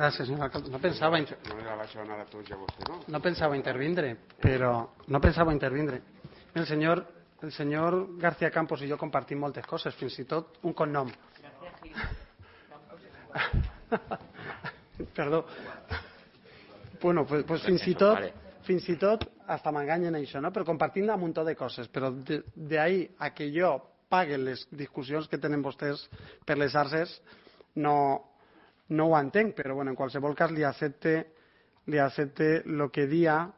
Gràcies, senyor alcalde. No pensava intervindre, però no pensava intervindre. El senyor García Campos i jo compartim moltes coses, fins i tot un cognom. Perdó. Bueno, pues fins i tot hasta m'enganyen això, no? Però compartim un munt de coses, però d'ahí a que jo pague les discussions que tenen vostès per les arses no ho entenc, però bueno, en qualsevol cas li accepte el que dia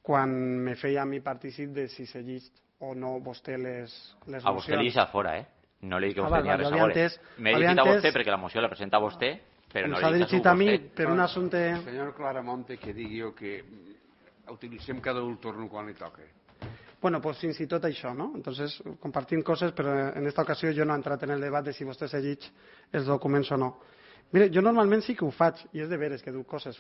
quan me feia a mi partícip de si se llig o no vostè les mocions. A vostè li deixa fora, no li dic que vostè n'hi ha res a veure. M'he dirigit a vostè perquè la moció la presenta vostè, però no li dic a vostè. Per un assumpte... Senyor Claramonte, que digui jo que utilitzem cada un torno quan li toca. Bueno, pues fins i tot això, no? Entonces, compartim coses, però en esta ocasió jo no he entrat en el debat de si vostè se llig els documents o no. Mire, jo normalment sí que ho faig, i és de veres que duc coses.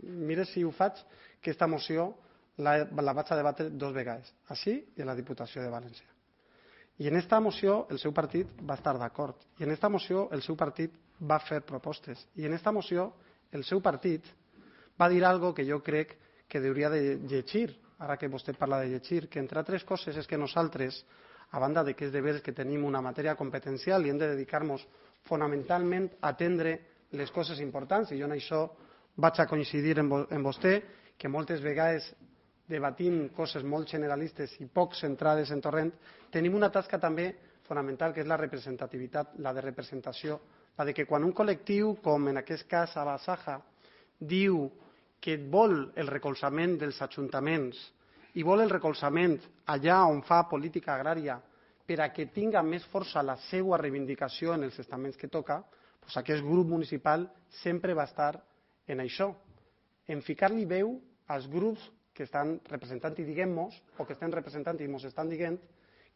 Mire si ho faig, que esta moció la vaig a debatre 2 vegades, així i a la Diputació de València. I en esta moció el seu partit va estar d'acord, i en esta moció el seu partit va fer propostes, i en esta moció el seu partit va dir algo que jo crec que hauria de llegir, ara que vostè parla de llegir, que entre altres coses és que nosaltres, a banda de que és de veres que tenim una matèria competencial i hem de dedicar-nos fonamentalment a atendre les coses importants, i jo en això vaig a coincidir amb vostè, que moltes vegades debatim coses molt generalistes i poc centrades en torrent, tenim una tasca també fonamental, que és la representativitat, la de representació, la de que quan un col·lectiu, com en aquest cas a Basaja, diu que vol el recolzament dels ajuntaments i vol el recolzament allà on fa política agrària per a que tinga més força la seva reivindicació en els estaments que toca, doncs aquest grup municipal sempre va estar en això, en ficar-li veu als grups que estan representant i diguem-nos, o que estan representant i ens estan dient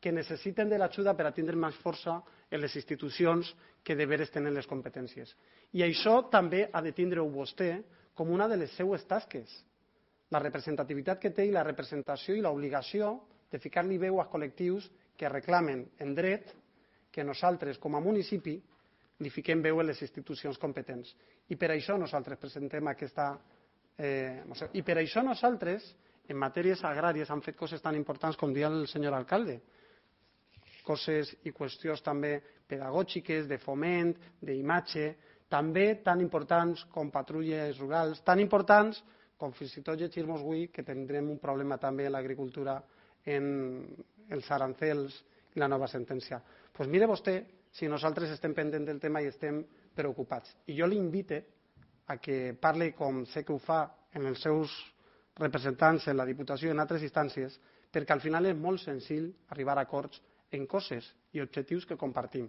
que necessiten de l'ajuda per a tindre més força en les institucions que de veres tenen les competències. I això també ha de tindre-ho vostè com una de les seues tasques. La representativitat que té i la representació i l'obligació de ficar-li veu als col·lectius que reclamen en dret que nosaltres, com a municipi, li fiquem veu a les institucions competents. I per això nosaltres presentem aquesta moció. I per això nosaltres, en matèries agràries, hem fet coses tan importants com dia el senyor alcalde. Coses i qüestions també pedagògiques, de foment, d'imatge, també tan importants com patrulles rurals, tan importants com fins i tot llegir-nos avui que tindrem un problema també en l'agricultura, en els arancels i la nova sentència. Doncs mire vostè si nosaltres estem pendents del tema i estem preocupats. I jo l'invite a que parli com sé que ho fa en els seus representants en la Diputació i en altres instàncies, perquè al final és molt senzill arribar a acords en coses i objectius que compartim.